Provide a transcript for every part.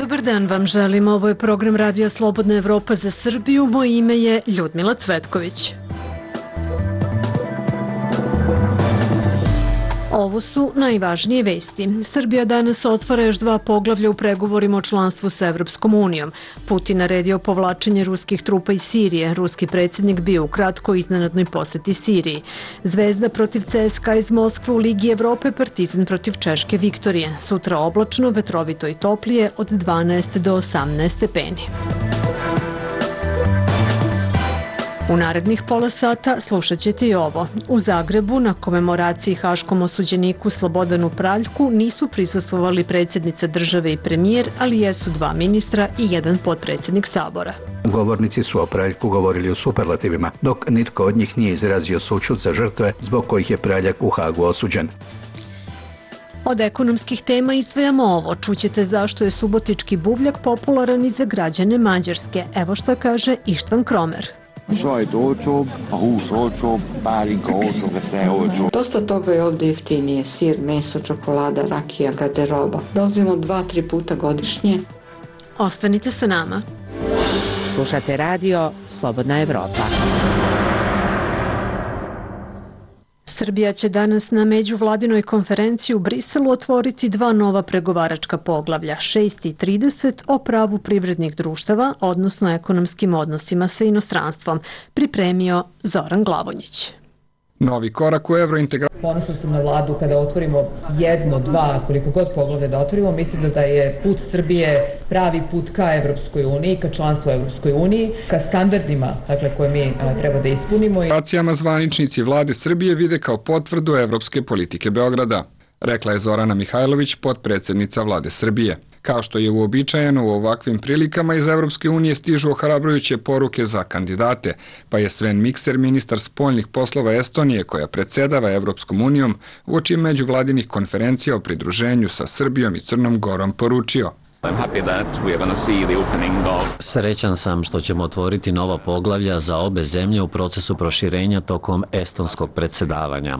Dobar dan vam želim, ovo je program Radija Slobodna Evropa za Srbiju, moje ime je Ljudmila Cvetković. Ovo su najvažnije vesti. Srbija danas otvara još 2 poglavlja u pregovorima o članstvu sa Evropskom unijom. Putin naredio povlačenje ruskih trupa iz Sirije. Ruski predsjednik bio u kratkoj iznenadnoj poseti Siriji. Zvezda protiv CSKA iz Moskve u Ligi Evrope, Partizan protiv Češke Viktorije. Sutra oblačno, vetrovito i toplije od 12 do 18 stepeni. U narednih pola sata slušat ćete i ovo. U Zagrebu na komemoraciji haškom osuđeniku Slobodanu Praljku nisu prisustvovali predsjednica države i premijer, ali jesu 2 ministra i 1 potpredsjednik Sabora. Govornici su o Praljku govorili u superlativima, dok nitko od njih nije izrazio sućut za žrtve zbog kojih je Praljak u Hagu osuđen. Od ekonomskih tema izdvajamo ovo. Čućete zašto je subotički buvljak popularan i za građane Mađarske. Evo šta kaže Ištvan Kromer. Sajt olcsóbb, a hús olcsóbb, pálinka olcsóbb, sve olcsóbb. Dosta toga je ovdje jeftinije, sir, meso, čokolada, rakija, garderoba. Dolazimo 2-3 puta godišnje. Ostanite sa nama. Slušate radio Slobodna Evropa. Srbija će danas na međuvladinoj konferenciji u Briselu otvoriti 2 nova pregovaračka poglavlja, 6 i 30 o pravu privrednih društava, odnosno ekonomskim odnosima sa inostranstvom, pripremio Zoran Glavonjić. Novi korak u evrointegraciji. Ponosno sam na vladu kada otvorimo 1, 2, koliko god poglavlja da otvorimo, mislim da je put Srbije pravi put ka Evropskoj uniji, ka članstvu Evropskoj uniji, ka standardima koje mi treba da ispunimo. Racijama zvaničnici vlade Srbije vide kao potvrdu evropske politike Beograda, rekla je Zorana Mihajlović, potpredsjednica vlade Srbije. Kao što je uobičajeno u ovakvim prilikama, iz Evropske unije stižu ohrabrujuće poruke za kandidate, pa je Sven Mikser, ministar spoljnih poslova Estonije, koja predsjedava Evropskom unijom, uoči međuvladinih konferencija o pridruženju sa Srbijom i Crnom Gorom poručio. Srećan sam što ćemo otvoriti nova poglavlja za obe zemlje u procesu proširenja tokom estonskog predsjedavanja.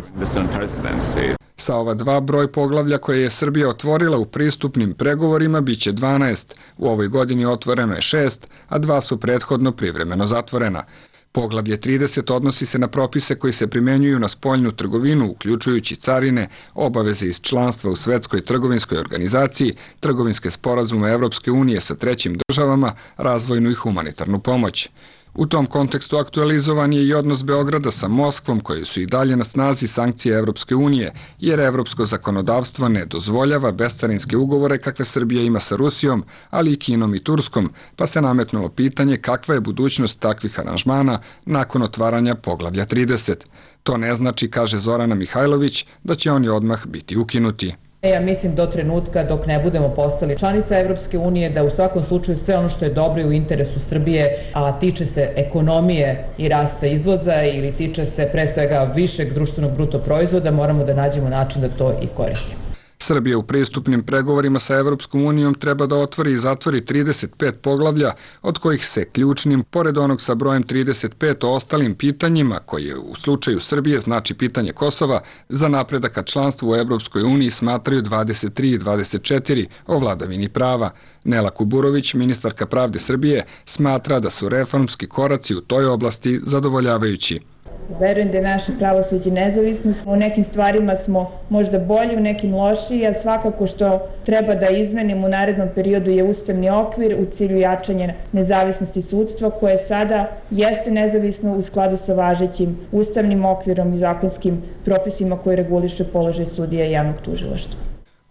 Sa ova 2 broj poglavlja koje je Srbija otvorila u pristupnim pregovorima biće 12. U ovoj godini otvoreno je 6, a 2 su prethodno privremeno zatvorena. Poglavlje 30 odnosi se na propise koji se primenjuju na spoljnu trgovinu, uključujući carine, obaveze iz članstva u Svetskoj trgovinskoj organizaciji, trgovinske sporazume Evropske unije sa trećim državama, razvojnu i humanitarnu pomoć. U tom kontekstu aktualizovan je i odnos Beograda sa Moskvom, koji su i dalje na snazi sankcije Evropske unije, jer evropsko zakonodavstvo ne dozvoljava bescarinske ugovore kakve Srbija ima sa Rusijom, ali i Kinom i Turskom, pa se nametnulo pitanje kakva je budućnost takvih aranžmana nakon otvaranja poglavlja 30. To ne znači, kaže Zorana Mihajlović, da će oni odmah biti ukinuti. Ja mislim do trenutka dok ne budemo postali članica Evropske unije da u svakom slučaju sve ono što je dobro i u interesu Srbije, a tiče se ekonomije i rasta izvoza ili tiče se pre svega višeg društvenog bruto proizvoda, moramo da nađemo način da to i koristimo. Srbija u pristupnim pregovorima sa Evropskom unijom treba da otvori i zatvori 35 poglavlja, od kojih se ključnim, pored onog sa brojem 35 o ostalim pitanjima, koje u slučaju Srbije znači pitanje Kosova, za napredak ka članstvu u Evropskoj uniji smatraju 23 i 24 o vladavini prava. Nela Kuburović, ministarka pravde Srbije, smatra da su reformski koraci u toj oblasti zadovoljavajući. Verujem da je naše pravosuđe nezavisno. U nekim stvarima smo možda bolji, u nekim lošiji, a svakako što treba da izmenimo u narednom periodu je ustavni okvir u cilju jačanja nezavisnosti sudstva, koje sada jeste nezavisno u skladu sa važećim ustavnim okvirom i zakonskim propisima koji reguliše položaj sudija i javnog tužilaštva.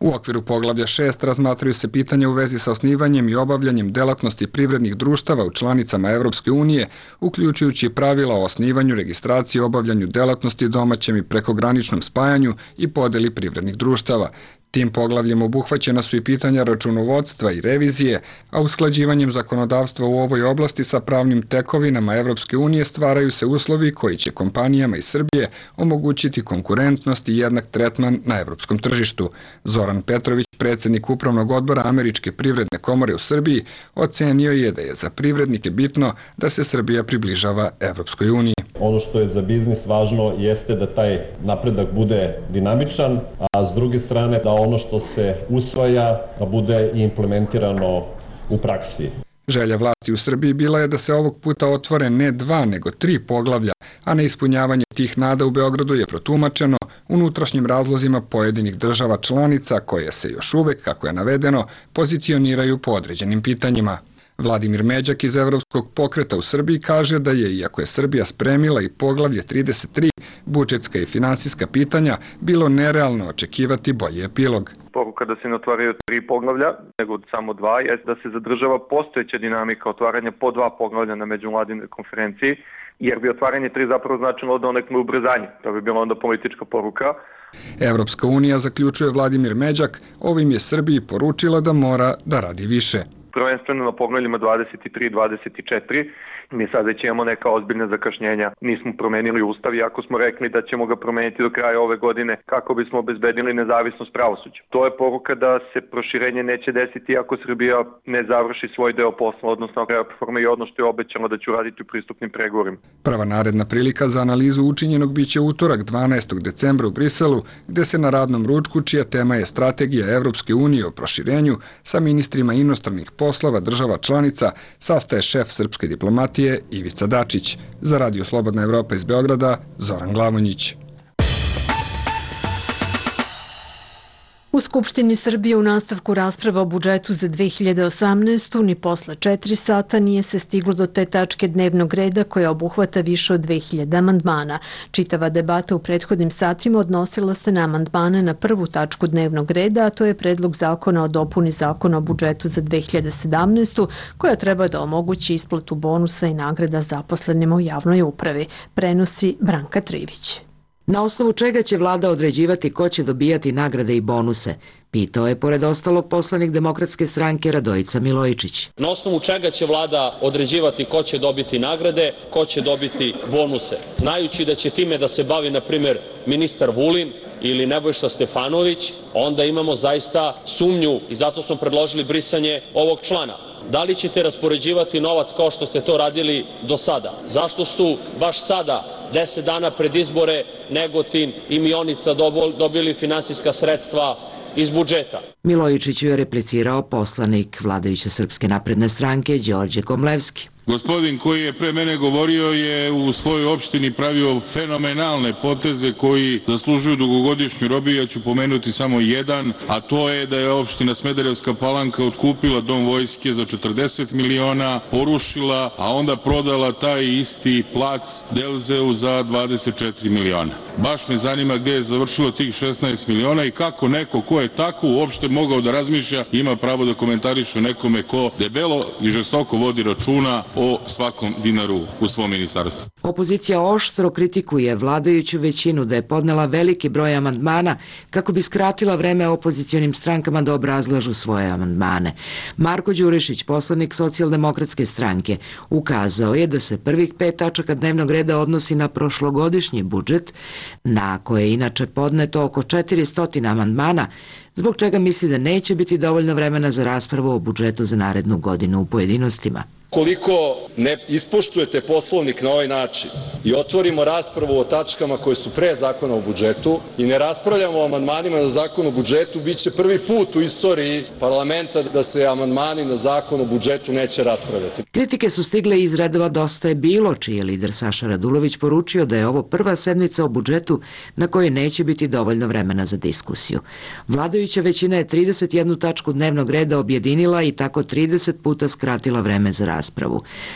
U okviru poglavlja 6 razmatraju se pitanja u vezi sa osnivanjem i obavljanjem delatnosti privrednih društava u članicama Evropske unije, uključujući pravila o osnivanju, registraciji i obavljanju delatnosti domaćem i prekograničnom spajanju i podeli privrednih društava. Tim poglavljem obuhvaćena su i pitanja računovodstva i revizije, a usklađivanjem zakonodavstva u ovoj oblasti sa pravnim tekovinama Evropske unije stvaraju se uslovi koji će kompanijama iz Srbije omogućiti konkurentnost i jednak tretman na evropskom tržištu. Zoran Petrović, predsjednik Upravnog odbora Američke privredne komore u Srbiji, ocenio je da je za privrednike bitno da se Srbija približava Evropskoj uniji. Ono što je za biznis važno jeste da taj napredak bude dinamičan, a s druge strane da ono što se usvaja da bude implementirano u praksi. Želja vlasti u Srbiji bila je da se ovog puta otvore ne 2, nego 3 poglavlja, a neispunjavanje tih nada u Beogradu je protumačeno unutrašnjim razlozima pojedinih država članica koje se još uvek, kako je navedeno, pozicioniraju po određenim pitanjima. Vladimir Međak iz Evropskog pokreta u Srbiji kaže da je, iako je Srbija spremila i poglavlje 33, budžetska i finansijska pitanja, bilo nerealno očekivati bolji epilog. Poruka da se ne otvaraju 3 poglavlja, nego samo 2, je da se zadržava postojeća dinamika otvaranja po 2 poglavlja na međuvladinoj konferenciji, jer bi otvaranje 3 zapravo značilo da nekome ubrzanje. To bi bila onda politička poruka. Evropska unija, zaključuje Vladimir Međak, ovim je Srbiji poručila da mora da radi više. Prvenstveno na poglavljima 23 i 24. Mi sad već imamo neka ozbiljna zakašnjenja. Nismo promenili ustav, iako smo rekli da ćemo ga promeniti do kraja ove godine kako bismo obezbedili nezavisnost pravosuđa. To je poruka da se proširenje neće desiti ako Srbija ne završi svoj deo posla, odnosno reforme i ono što je obećano da će uraditi u pristupnim pregovorima. Prva naredna prilika za analizu učinjenog biće utorak 12. decembra u Briselu, gde se na radnom ručku, čija tema je strategija Evropske unije o proširenju, sa ministrima inostranih poslova država članica, sastaje šef srpske diplomatije Ivica Dačić. Za Radio Slobodna Evropa iz Beograda, Zoran Glavonjić. U Skupštini Srbije u nastavku rasprave o budžetu za 2018. ni posle 4 sata nije se stiglo do te tačke dnevnog reda koja obuhvata više od 2000 amandmana. Čitava debata u prethodnim satima odnosila se na amandmane na prvu tačku dnevnog reda, a to je predlog zakona o dopuni zakona o budžetu za 2017. koja treba da omogući isplatu bonusa i nagrada zaposlenima u javnoj upravi. Prenosi Branka Trivić. Na osnovu čega će vlada određivati ko će dobijati nagrade i bonuse? Pitao je, pored ostalog, poslanik Demokratske stranke Radojica Milojičić. Na osnovu čega će vlada određivati ko će dobiti nagrade, ko će dobiti bonuse? Znajući da će time da se bavi, na primjer, ministar Vulin ili Nebojša Stefanović, onda imamo zaista sumnju i zato smo predložili brisanje ovog člana. Da li ćete raspoređivati novac kao što ste to radili do sada? Zašto su baš sada, 10 dana pred izbore, Negotin i Mionica dobili finansijska sredstva iz budžeta? Milojičiću je replicirao poslanik vladajuće Srpske napredne stranke Đorđe Komlevski. Gospodin koji je pre mene govorio je u svojoj opštini pravio fenomenalne poteze koji zaslužuju dugogodišnju robiju. Ja ću pomenuti samo jedan, a to je da je opština Smederevska Palanka otkupila dom vojske za 40 miliona, porušila, a onda prodala taj isti plac Delzeu za 24 miliona. Baš me zanima gde je završilo tih 16 miliona i kako neko ko je tako uopšte mogao da razmišlja ima pravo da komentariše nekome ko debelo i žestoko vodi računa o svakom dinaru u svom ministarstvu. Opozicija oštro kritikuje vladajuću većinu da je podnela veliki broj amandmana kako bi skratila vreme opozicionim strankama da obrazlažu svoje amandmane. Marko Đurišić, poslanik Socijaldemokratske stranke, ukazao je da se prvih 5 tačaka dnevnog reda odnosi na prošlogodišnji budžet, na koje je inače podneto oko 400 amandmana, zbog čega misli da neće biti dovoljno vremena za raspravu o budžetu za narednu godinu u pojedinostima. Koliko ne ispoštujete Poslovnik na ovaj način i otvorimo raspravu o tačkama koje su pre zakona o budžetu i ne raspravljamo o amandmanima na zakon o budžetu, bit će prvi put u istoriji parlamenta da se amandmani na zakon o budžetu neće raspravljati. Kritike su stigle iz redova Dosta je bilo, čiji je lider Saša Radulović poručio da je ovo prva sednica o budžetu na kojoj neće biti dovoljno vremena za diskusiju. Vladajuća većina je 31 tačku dnevnog reda objedinila i tako 30 puta skratila vreme za raspravu.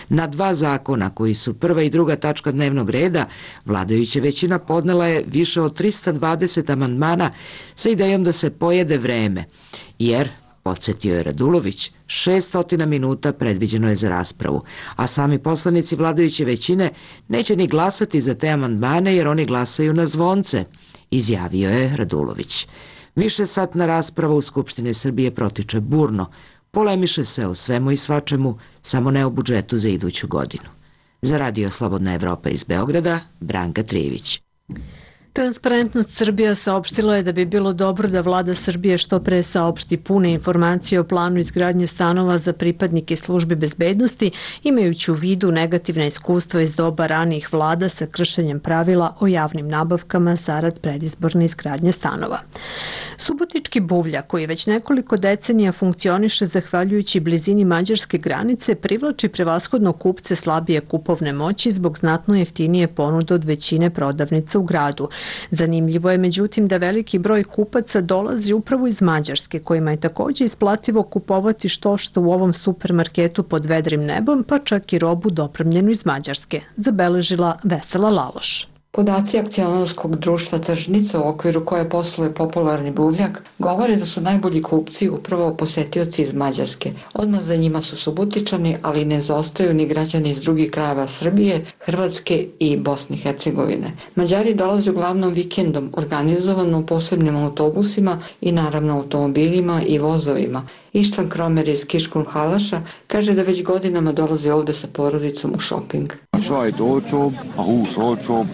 Na 2 zakona koji su prva i druga tačka dnevnog reda, vladajuća većina podnela je više od 320 amandmana sa idejom da se pojede vreme, jer, podsjetio je Radulović, 600 minuta predviđeno je za raspravu, a sami poslanici vladajuće većine neće ni glasati za te amandmane jer oni glasaju na zvonce, izjavio je Radulović. Višesatna rasprava u Skupštini Srbije protiče burno. Polemiše se o svemu i svačemu, samo ne o budžetu za iduću godinu. Za Radio Slobodna Evropa iz Beograda, Branka Trivić. Transparentnost Srbija saopštila je da bi bilo dobro da vlada Srbije što pre saopšti pune informacije o planu izgradnje stanova za pripadnike službi bezbednosti, imajući u vidu negativna iskustva iz doba ranijih vlada sa kršenjem pravila o javnim nabavkama zarad predizborne izgradnje stanova. Subotički buvljak, koji već nekoliko decenija funkcioniše zahvaljujući blizini mađarske granice, privlači prevashodno kupce slabije kupovne moći zbog znatno jeftinije ponude od većine prodavnica u gradu. Zanimljivo je međutim da veliki broj kupaca dolazi upravo iz Mađarske, kojima je također isplativo kupovati što u ovom supermarketu pod vedrim nebom, pa čak i robu dopremljenu iz Mađarske, zabeležila Vesela Laloš. Podaci akcionarskog društva Tržnica, u okviru koje posluje popularni buvljak, govore da su najbolji kupci upravo posetioci iz Mađarske. Odmah za njima su Subotičani, ali ne zaostaju ni građani iz drugih krajeva Srbije, Hrvatske i Bosne i Hercegovine. Mađari dolaze uglavnom vikendom, organizovano u posebnim autobusima i naravno automobilima i vozovima. Ištvan Kromer iz Kiškun Halaša kaže da već godinama dolazi ovde sa porodicom u šoping.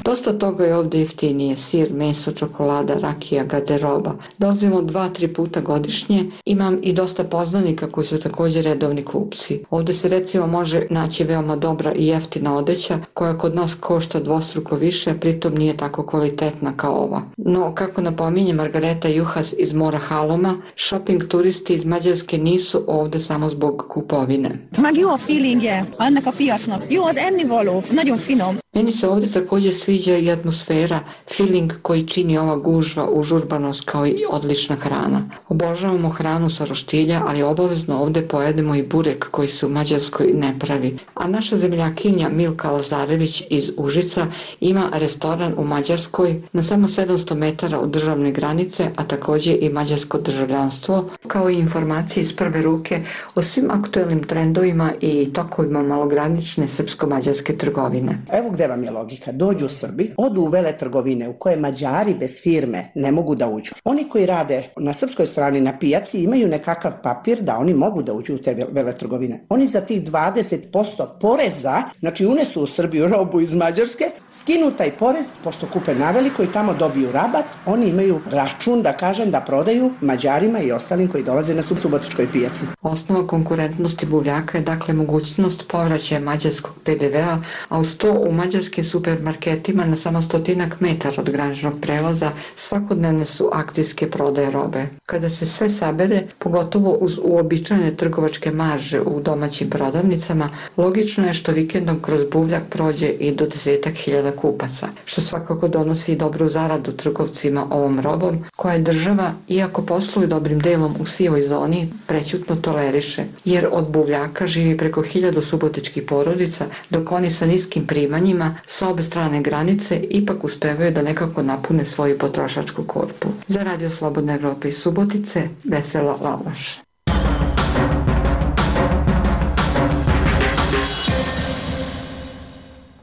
Dosta toga je ovde jeftinije, sir, meso, čokolada, rakija, garderoba. Dolazimo 2-3 puta godišnje, imam i dosta poznanika koji su također redovni kupci. Ovde se recimo može naći veoma dobra i jeftina odeća koja kod nas košta dvostruko više, pritom nije tako kvalitetna kao ova. No, kako napominje Margareta Juhas iz Mora Haloma, shopping turisti iz Mađarske nisu ovde samo zbog kupovine. Meg jó a feelingje ennek a piacnak. Jó az ennivaló, nagyon finom. Meni se ovdje također sviđa i atmosfera, feeling koji čini ova gužva, užurbanost kao i odlična hrana. Obožavamo hranu sa roštilja, ali obavezno ovdje pojedemo i burek koji se u Mađarskoj ne pravi. A naša zemljakinja Milka Lazarević iz Užica ima restoran u Mađarskoj na samo 700 metara od državne granice, a također i mađarsko državljanstvo, kao i informacije iz prve ruke o svim aktuelnim trendovima i tokovima malogranične srpsko-mađarske trgovine. Evo gde vam je logika. Dođu u Srbi, odu u veletrgovine u koje Mađari bez firme ne mogu da uđu. Oni koji rade na srpskoj strani na pijaci imaju nekakav papir da oni mogu da uđu u te veletrgovine. Oni za tih 20% poreza, znači unesu u Srbiju robu iz Mađarske, skinu taj porez, pošto kupe naveliko i tamo dobiju rabat, oni imaju račun, da kažem, da prodaju Mađarima i ostalim koji dolaze na subotičkoj pijaci. Osnova konkurentnosti buvljaka je dakle mogućnost povraćaja mađarskog PDV-a, a uz to u mađarskim supermarketima na samo 100 metara od graničnog prelaza svakodnevne su akcijske prodaje robe. Kada se sve sabere, pogotovo uz uobičajene trgovačke marže u domaćim prodavnicama, logično je što vikendom kroz buvljak prođe i do 10.000 kupaca, što svakako donosi i dobru zaradu trgovcima ovom robom, koja je država, iako posluju dobrim delom u sivoj zoni, prećutno toleriše, jer od buvljaka živi preko 1000 subotičkih porodica, dok oni sa niskim primanjima sa obe strane granice ipak uspevaju da nekako napune svoju potrošačku korpu. Za Radio Slobodna Evropa iz Subotice, Vesela Laloš.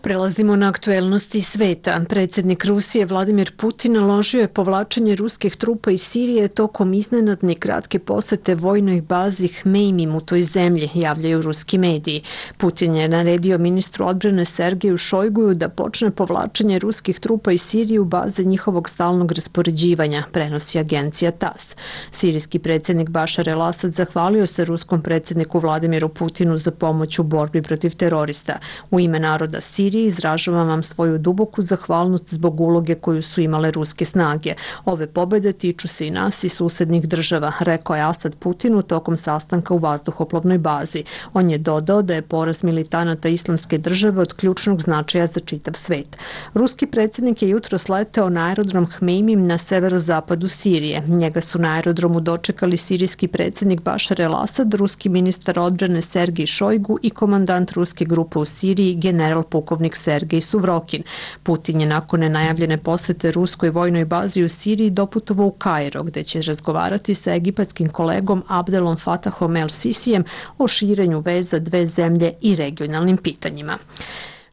Prelazimo na aktuelnosti sveta. Predsjednik Rusije Vladimir Putin naložio je povlačenje ruskih trupa iz Sirije tokom iznenadne kratke posete vojnoj bazi Hmeimim u toj zemlji, javljaju ruski mediji. Putin je naredio ministru odbrane Sergeju Šojguju da počne povlačenje ruskih trupa iz Sirije u baze njihovog stalnog raspoređivanja, prenosi agencija TASS. Sirijski predsjednik Bašar el-Asad zahvalio se ruskom predsjedniku Vladimiru Putinu za pomoć u borbi protiv terorista. U ime naroda Sirije izražavam vam svoju duboku zahvalnost zbog uloge koju su imale ruske snage. Ove pobjede tiču se i nas i susednih država, rekao je Asad Putinu tokom sastanka u vazduhoplovnoj bazi. On je dodao da je poraz militanata Islamske države od ključnog značaja za čitav svet. Ruski predsjednik je jutros leteo na aerodrom Hmeimim na severozapadu Sirije. Njega su na aerodromu dočekali sirijski predsjednik Bašar el-Asad, ruski ministar odbrane Sergej Šojgu i komandant ruske grupe u Siriji general pukovnik Sergej Suvrokin. Putin je nakon nenajavljene posete ruskoj vojnoj bazi u Siriji doputovao u Kairo, gde će razgovarati sa egipatskim kolegom Abdelom Fatahom el-Sisijem o širenju veza dve zemlje i regionalnim pitanjima.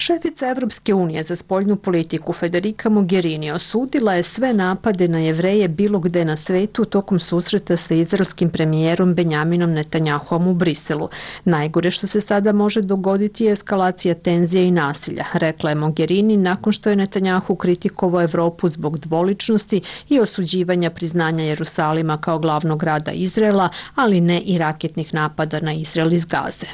Šefica Evropske unije za spoljnu politiku Federica Mogherini osudila je sve napade na Jevreje bilo gde na svetu tokom susreta sa izraelskim premijerom Benjaminom Netanjahuom u Briselu. Najgore što se sada može dogoditi je eskalacija tenzija i nasilja, rekla je Mogherini nakon što je Netanjahu kritikovao Evropu zbog dvoličnosti i osuđivanja priznanja Jerusalima kao glavnog grada Izraela, ali ne i raketnih napada na Izrael iz Gaze.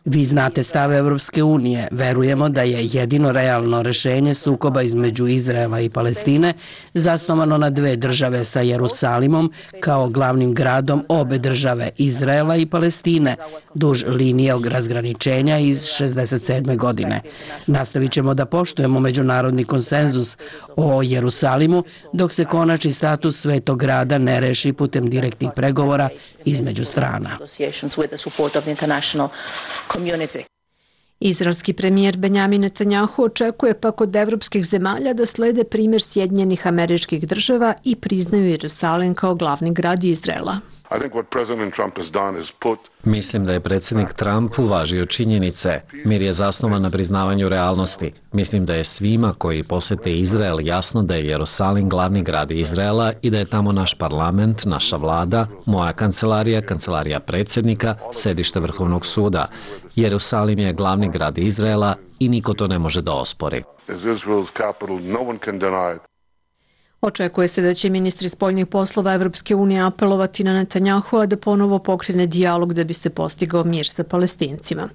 Vi znate stav Evropske unije. Verujemo da je jedino realno rešenje sukoba između Izraela i Palestine zasnovano na dve države sa Jerusalimom kao glavnim gradom obe države Izraela i Palestine duž linije razgraničenja iz 1967. godine. Nastavit ćemo da poštujemo međunarodni konsenzus o Jerusalimu dok se konačni status svetog grada ne reši putem direktnih pregovora između strana. Izraelski premijer Benjamin Netanjahu očekuje pak od evropskih zemalja da slede primjer Sjedinjenih Američkih Država i priznaju Jerusalim kao glavni grad Izraela. Mislim da je predsjednik Trump uvažio činjenice. Mir je zasnovan na priznavanju realnosti. Mislim da je svima koji posete Izrael jasno da je Jerusalim glavni grad Izraela i da je tamo naš parlament, naša vlada, moja kancelarija, kancelarija predsjednika, sedište Vrhovnog suda. Jerusalim je glavni grad Izraela i niko to ne može da ospori. Očekuje se da će ministri spoljnih poslova Evropske unije apelovati na Netanjahua da ponovo pokrene dijalog da bi se postigao mir sa Palestincima.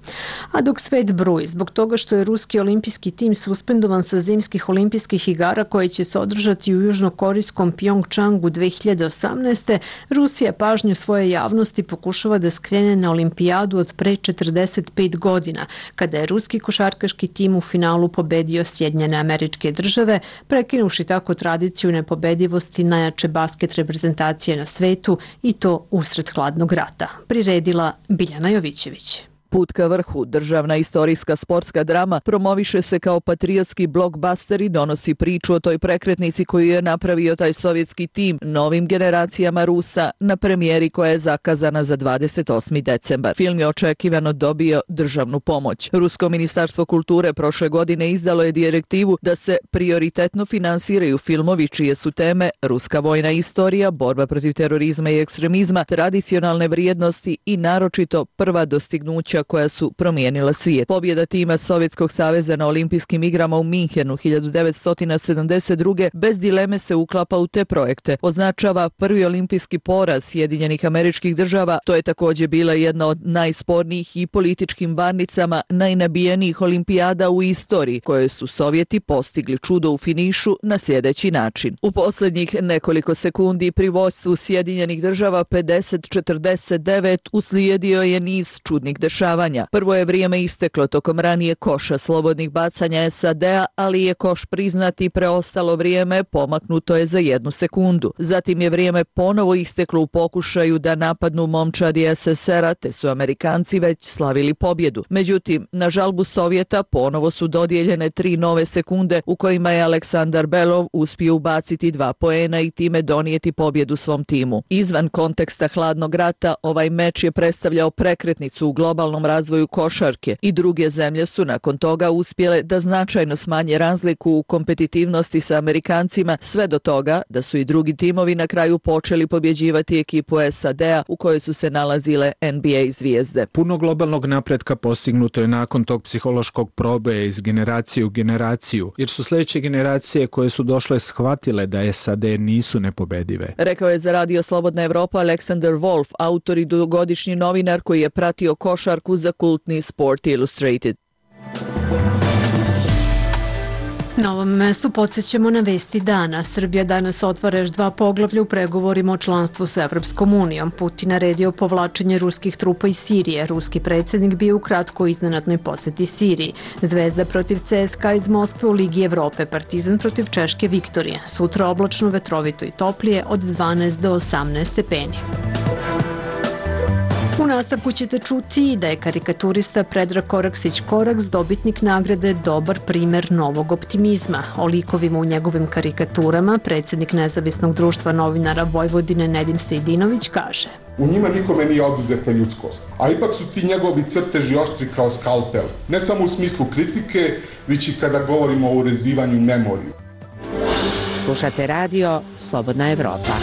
A dok svet bruji zbog toga što je ruski olimpijski tim suspendovan sa zimskih olimpijskih igara koje će se održati u južnokorejskom Pjongčangu 2018. Rusija pažnju svoje javnosti pokušava da skrene na olimpijadu od pre 45 godina, kada je ruski košarkaški tim u finalu pobedio Sjedinjene Američke Države, prekinuvši tako tradiciju nepobedivosti najjače basket reprezentacije na svetu i to usred hladnog rata. Priredila Biljana Jovićević. Put ka vrhu, državna istorijska sportska drama, promoviše se kao patriotski blockbuster i donosi priču o toj prekretnici koju je napravio taj sovjetski tim novim generacijama Rusa na premijeri koja je zakazana za 28. decembar. Film je očekivano dobio državnu pomoć. Rusko ministarstvo kulture prošle godine izdalo je direktivu da se prioritetno finansiraju filmovi čije su teme ruska vojna istorija, borba protiv terorizma i ekstremizma, tradicionalne vrijednosti i naročito prva dostignuća koja su promijenila svijet. Pobjeda tima Sovjetskog saveza na olimpijskim igrama u Minhenu 1972. bez dileme se uklapa u te projekte. Označava prvi olimpijski poraz Sjedinjenih Američkih Država. To je također bila jedna od najspornijih i političkim varnicama najnabijenijih olimpijada u istoriji, koje su Sovjeti postigli čudo u finišu na sljedeći način. U posljednjih nekoliko sekundi pri vođstvu Sjedinjenih Država 50-49 uslijedio je niz čudnih dešavanja. Prvo je vrijeme isteklo tokom ranije koša slobodnih bacanja SAD-a, ali je koš priznati preostalo vrijeme pomaknuto je za 1 sekundu. Zatim je vrijeme ponovo isteklo u pokušaju da napadnu momčadi SSR-a, te su Amerikanci već slavili pobjedu. Međutim, na žalbu Sovjeta ponovo su dodijeljene 3 nove sekunde u kojima je Aleksandar Belov uspio ubaciti 2 poena i time donijeti pobjedu svom timu. Izvan konteksta hladnog rata, ovaj meč je predstavljao prekretnicu u globalnom razvoju košarke i druge zemlje su nakon toga uspjele da značajno smanje razliku u kompetitivnosti sa Amerikancima, sve do toga da su i drugi timovi na kraju počeli pobjeđivati ekipu SAD-a u kojoj su se nalazile NBA zvijezde. Puno globalnog napretka postignuto je nakon tog psihološkog proboja iz generacije u generaciju, jer su sljedeće generacije koje su došle shvatile da SAD nisu nepobedive. Rekao je za Radio Slobodna Evropa Alexander Wolf, autor i dugogodišnji novinar koji je pratio košarku za kultni Sport Illustrated. Na ovom mestu podsjećamo na vesti dana. Srbija danas otvara još 2 poglavlja u pregovorima o članstvu sa Evropskom unijom. Putin naredio povlačenje ruskih trupa iz Sirije. Ruski predsjednik bio u kratko iznenadnoj posjeti Siriji. Zvezda protiv CSKA iz Moskve u Ligi Evrope. Partizan protiv Češke Viktorije. Sutra oblačno, vetrovito i toplije od 12 do 18 stepeni. U nastavku ćete čuti da je karikaturista Predrag Koraksić-Koraks dobitnik nagrade Dobar primer novog optimizma. O likovima u njegovim karikaturama predsjednik Nezavisnog društva novinara Vojvodine Nedim Sejdinović kaže: U njima nikome nije oduzeta ljudskost. A ipak su ti njegovi crteži oštri kao skalpel. Ne samo u smislu kritike, već i kada govorimo o urezivanju memoriju. Slušate radio Slobodna Evropa.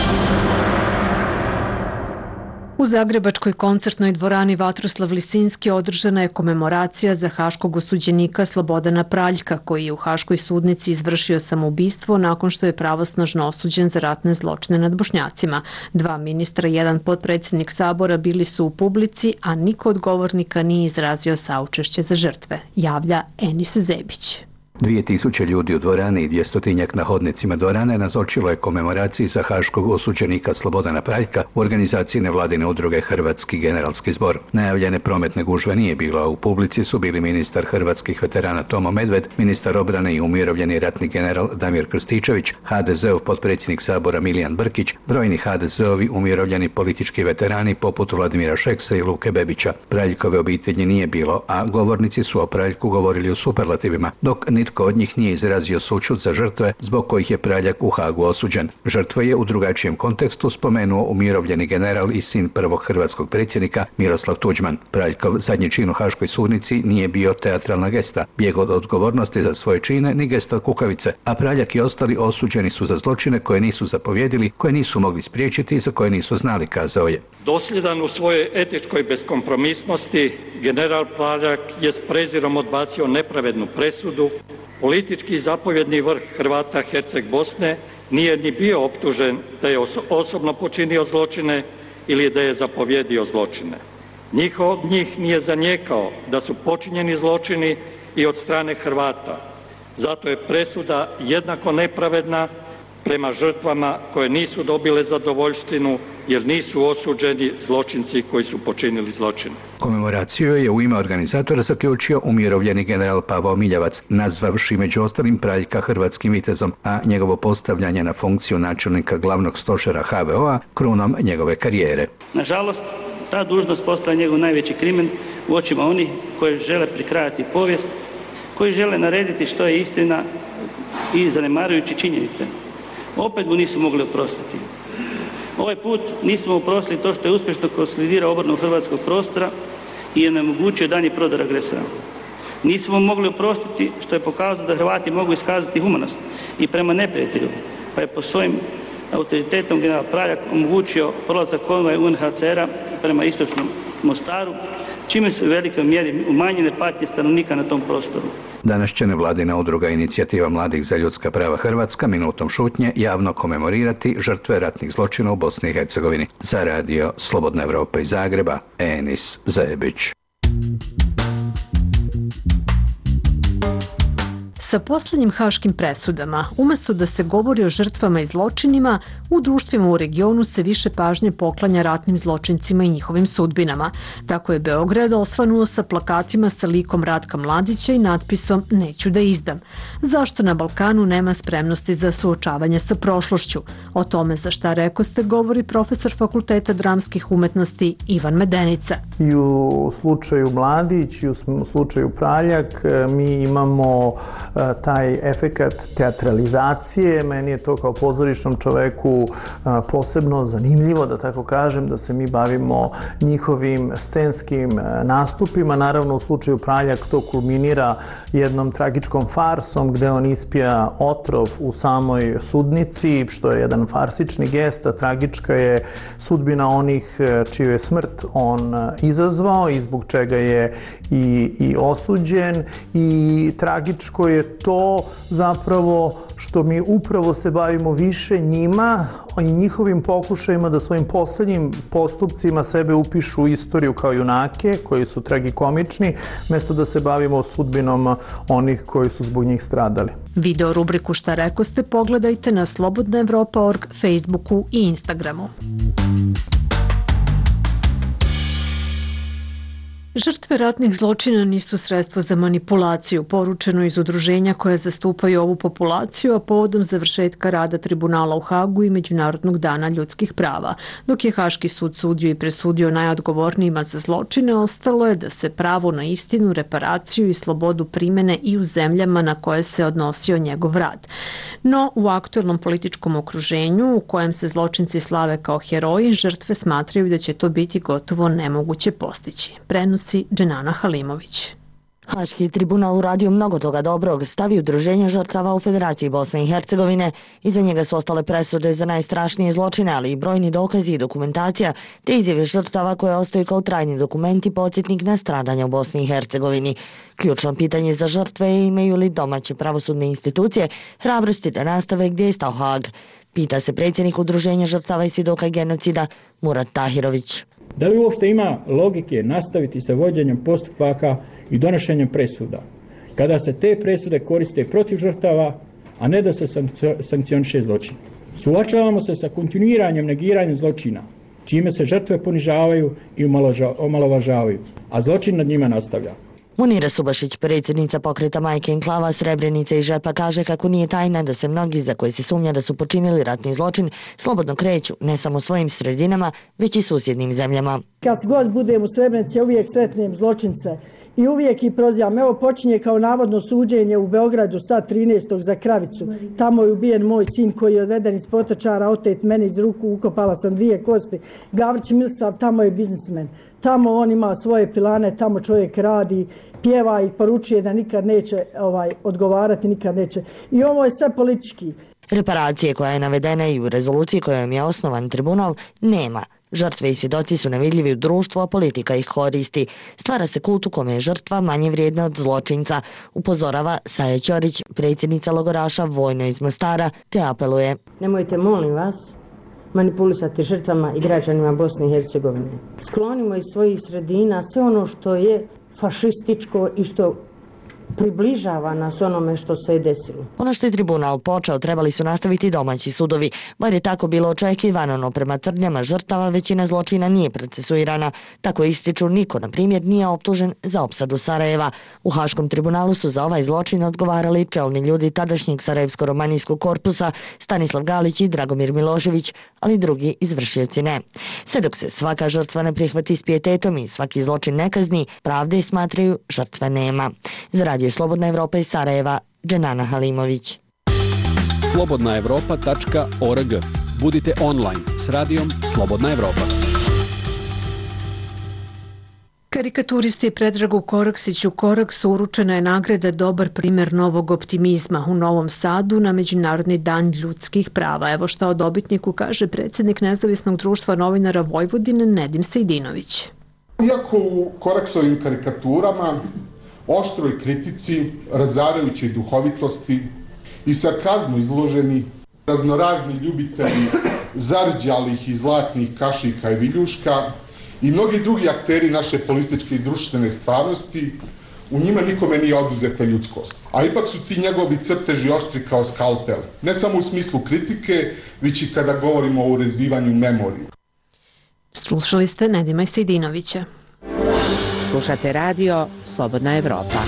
U Zagrebačkoj koncertnoj dvorani Vatroslav Lisinski održana je komemoracija za haškog osuđenika Slobodana Praljka, koji je u haškoj sudnici izvršio samoubistvo nakon što je pravosnažno osuđen za ratne zločine nad Bošnjacima. 2 ministra i 1 potpredsjednik Sabora bili su u publici, a niko od govornika nije izrazio saučešće za žrtve, javlja Enis Zebić. 2000 ljudi u dvorani i 200-tinjak na hodnicima dvorane nazočilo je komemoraciji za haškog osuđenika Slobodana Praljka u organizaciji nevladine udruge Hrvatski generalski zbor. Najavljene prometne gužve nije bilo, a u publici su bili ministar hrvatskih veterana Tomo Medved, ministar obrane i umirovljeni ratni general Damir Krstičević, HDZ-ov potpredsjednik Sabora Milijan Brkić, brojni HDZ-ovi umirovljeni politički veterani poput Vladimira Šeksa i Luke Bebića. Praljkove obitelji nije bilo, a govornici su o Praljku govorili u superlativima, dok nitko od njih nije izrazio sućut za žrtve zbog kojih je Praljak u Hagu osuđen. Žrtve je u drugačijem kontekstu spomenuo umirovljeni general i sin prvog hrvatskog predsjednika Miroslav Tuđman. Praljkov zadnji čin u haškoj sudnici nije bio teatralna gesta, bijeg od odgovornosti za svoje čine ni gesta kukavice, a Praljak i ostali osuđeni su za zločine koje nisu zapovjedili, koje nisu mogli spriječiti i za koje nisu znali, kazao je. Dosljedan u svojoj etičkoj beskompromisnosti, general Praljak je s prezirom odbacio nepravednu presudu. Politički zapovjedni vrh Hrvata Herceg Bosne nije ni bio optužen da je osobno počinio zločine ili da je zapovjedio zločine. Niko od njih nije zanijekao da su počinjeni zločini i od strane Hrvata. Zato je presuda jednako nepravedna prema žrtvama koje nisu dobile zadovoljštinu jer nisu osuđeni zločinci koji su počinili zločine. Komemoraciju je u ime organizatora zaključio umirovljeni general Pavao Miljavac, nazvavši među ostalim Praljka hrvatskim vitezom, a njegovo postavljanje na funkciju načelnika glavnog stožera HVO-a krunom njegove karijere. Nažalost, ta dužnost postala njegov najveći krimen u očima onih koji žele prikrajati povijest, koji žele narediti što je istina i zanemarujući činjenice. Opet mu nisu mogli oprostiti. Ovaj put nismo oprostili to što je uspješno konsolidirao obranu hrvatskog prostora i onemogućio daljnji prodor agresora. Nismo mogli oprostiti što je pokazao da Hrvati mogu iskazati humanost i prema neprijatelju, pa je po svojim autoritetom general Praljak omogućio prolazak konvoja UNHCR-a prema istočnom Mostaru, čime su u velikoj mjeri umanjene patnje stanovnika na tom prostoru. Danas će nevladina udruga Inicijativa mladih za ljudska prava Hrvatska minutom šutnje javno komemorirati žrtve ratnih zločina u Bosni i Hercegovini. Za radio Slobodna Evropa iz Zagreba, Enis Zebić. Sa posljednjim haškim presudama, umjesto da se govori o žrtvama i zločinima, u društvima u regionu se više pažnje poklanja ratnim zločincima i njihovim sudbinama. Tako je Beograd osvanuo sa plakatima sa likom Ratka Mladića i natpisom "Neću da izdam". Zašto na Balkanu nema spremnosti za suočavanje sa prošlošću? O tome za šta rekoste govori profesor Fakulteta dramskih umetnosti Ivan Medenica. I u slučaju Mladić i u slučaju Praljak mi imamo taj efekat teatralizacije. Meni je to kao pozorišnom čoveku posebno zanimljivo, da tako kažem, da se mi bavimo njihovim scenskim nastupima. Naravno, u slučaju Praljak to kulminira jednom tragičkom farsom gde on ispija otrov u samoj sudnici, što je jedan farsični gest, a tragička je sudbina onih čiju je smrt on izazvao i zbog čega je i osuđen. I tragičko je to zapravo što mi upravo se bavimo više njima i njihovim pokušajima da svojim poslednjim postupcima sebe upišu u istoriju kao junake koji su tragikomični, mjesto da se bavimo sudbinom onih koji su zbog njih stradali. Video rubriku Šta rekoste pogledajte na slobodnaevropa.org, Facebooku i Instagramu. Žrtve ratnih zločina nisu sredstvo za manipulaciju, poručeno iz udruženja koja zastupaju ovu populaciju, a povodom završetka rada tribunala u Hagu i Međunarodnog dana ljudskih prava. Dok je Haški sud sudio i presudio najodgovornijima za zločine, ostalo je da se pravo na istinu, reparaciju i slobodu primene i u zemljama na koje se odnosio njegov rad. No, u aktuelnom političkom okruženju, u kojem se zločinci slave kao heroji, žrtve smatraju da će to biti gotovo nemoguće postići. Prenosi Dženana Halimović. Haški tribunal uradio mnogo toga dobrog, stavio udruženje žrtava u Federaciji Bosne i Hercegovine. Iza njega su ostale presude za najstrašnije zločine, ali i brojni dokazi i dokumentacija, te izjave žrtava koje ostaju kao trajni dokumenti podsjetnik na stradanja u Bosni i Hercegovini. Ključno pitanje za žrtve je imaju li domaće pravosudne institucije hrabrosti da nastave gdje je stao Hag. Pita se predsjednik udruženja žrtava i svjedoka genocida Murat Tahirović. Da li uopšte ima logike nastaviti sa vođenjem postupaka i donošenjem presuda, kada se te presude koriste protiv žrtava, a ne da se sankcioniše zločin? Suočavamo se sa kontinuiranjem negiranjem zločina, čime se žrtve ponižavaju i omalovažavaju, a zločin nad njima nastavlja. Munira Subašić, predsjednica pokreta Majke Enklava, Srebrenice i Žepa, kaže kako nije tajna da se mnogi za koje se sumnja da su počinili ratni zločin slobodno kreću ne samo svojim sredinama, već i susjednim zemljama. Kad god budem u Srebrenici, uvijek sretnem zločince i uvijek ih prozivam. Evo počinje kao navodno suđenje u Beogradu sad 13. za Kravicu. Tamo je ubijen moj sin koji je odveden iz Potočara, otet meni iz ruku, ukopala sam 2 kosti. Gavrić Milsav, tamo je biznismen. Tamo on ima svoje pilane, tamo čovjek radi, pjeva i poručuje da nikad neće odgovarati, nikad neće. I ovo je sve politički. Reparacije koja je navedena i u rezoluciji kojom je osnovan tribunal nema. Žrtve i svjedoci su nevidljivi u društvu, a politika ih koristi. Stvara se kult u kome je žrtva manje vrijedna od zločinca, upozorava Saja Ćorić, predsjednica logoraša Vojno iz Mostara, te apeluje. Nemojte, molim vas, manipulisati žrtvama i građanima Bosne i Hercegovine. Sklonimo iz svojih sredina sve ono što je fašističko i što približava nas onome što se je desilo. Ono što je tribunal počeo trebali su nastaviti domaći sudovi, bar je tako bilo očekivano, no prema tvrdnjama žrtava većina zločina nije procesuirana. Tako ističu, niko, na primjer, nije optužen za opsadu Sarajeva. U Haškom tribunalu su za ovaj zločin odgovarali čelni ljudi tadašnjeg Sarajevsko-romanijskog korpusa Stanislav Galić i Dragomir Milošević, ali drugi izvršioci ne. Sve dok se svaka žrtva ne prihvati s pijetetom i svaki zločin ne kazni, pravde smatraju žrtve nema. Za Radio Slobodna Evropa iz Sarajeva, Dženana Halimović. slobodnaevropa.org. Budite online s radijom Slobodna Evropa. Karikaturisti Predragu Koraksiću Koraksu uručena je nagrada Dobar primjer novog optimizma u Novom Sadu na Međunarodni dan ljudskih prava. Evo šta o dobitniku kaže predsjednik Nezavisnog društva novinara Vojvodine Nedim Sejdinović. Iako u Koraksovim karikaturama, oštroj kritici, razarajućoj duhovitosti i sarkazmu izloženi raznorazni ljubitelji zarđalih i zlatnih kašika i viljuška i mnogi drugi akteri naše političke i društvene stvarnosti, u njima nikome nije oduzeta ljudskost. A ipak su ti njegovi crteži oštri kao skalpel, ne samo u smislu kritike, već i kada govorimo o urezivanju memorije. Slušali ste Nedima Sejdinovića. Slušate radio Slobodna Evropa.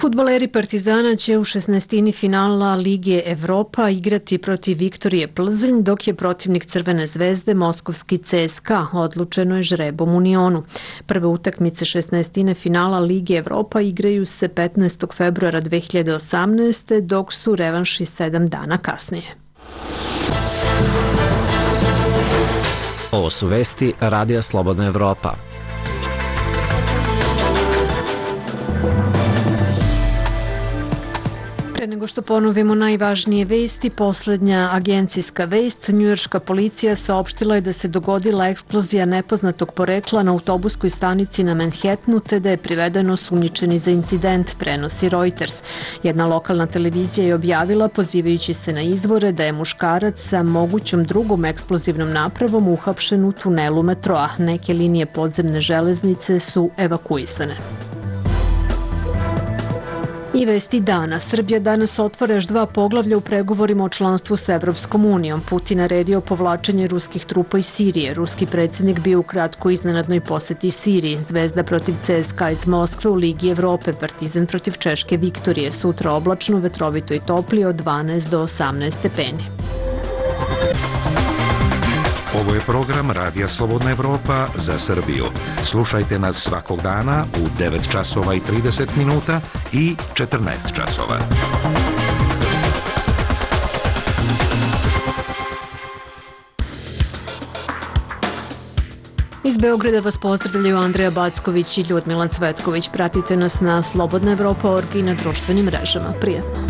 Fudbaleri Partizana će u 16. finala Lige Evropa igrati protiv Viktorije Plzeň, dok je protivnik Crvene zvezde moskovski CSKA, odlučeno je žrebom u Unionu. Prve utakmice 16. finala Lige Evropa igraju se 15. februara 2018. dok su revanši 7 dana kasnije. Ovo su vesti Radija Slobodna Evropa. Pre nego što ponovimo najvažnije vesti, posljednja agencijska vest, njujorška policija saopštila je da se dogodila eksplozija nepoznatog porekla na autobuskoj stanici na Manhattanu, te da je privedeno osumnjičeni za incident, prenosi Reuters. Jedna lokalna televizija je objavila, pozivajući se na izvore, da je muškarac sa mogućom drugom eksplozivnom napravom uhapšen u tunelu metroa. Neke linije podzemne železnice su evakuisane. I vesti dana. Srbija danas otvara još 2 poglavlja u pregovorima o članstvu s Evropskom unijom. Putin naredio povlačenje ruskih trupa iz Sirije. Ruski predsjednik bio u kratkoj iznenadnoj poseti Siriji. Zvezda protiv CSKA iz Moskve u Ligi Evrope. Partizan protiv Češke Viktorije. Sutra oblačno, vetrovito i toplije od 12 do 18 stepeni. Ovo je program Radija Slobodna Evropa za Srbiju. Slušajte nas svakog dana u 9 časova i 30 minuta i 14 časova. Iz Beograda vas pozdravljaju Andreja Backović i Ljudmila Cvetković. Pratite nas na slobodnaevropa.org i na društvenim mrežama. Prijatno.